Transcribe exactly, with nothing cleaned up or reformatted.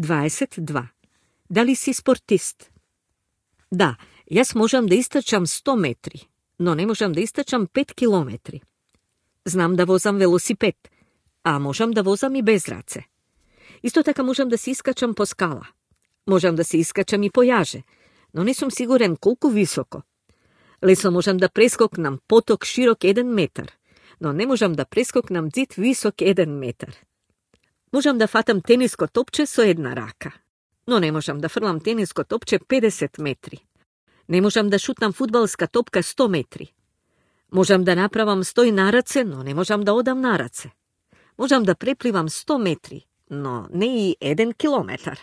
дваесет и два. Дали си спортист? Да, јас можам да истрчам сто метри, но не можам да истрчам пет километри. Знам да возам велосипед, а можам да возам и без раце. Исто така можам да се искачам по скала. Можам да се искачам и по јаже, но не сум сигурен колку високо. Лесно можам да прескокнам поток широк еден метар, но не можам да прескокнам зид висок еден метар. Можам да фатам тениско топче со една рака, но не можам да фрлам тениско топче педесет метри. Не можам да шутнам фудбалска топка сто метри. Можам да направам стој на раце, но не можам да одам на раце. Можам да препливам сто метри, но не и еден километар.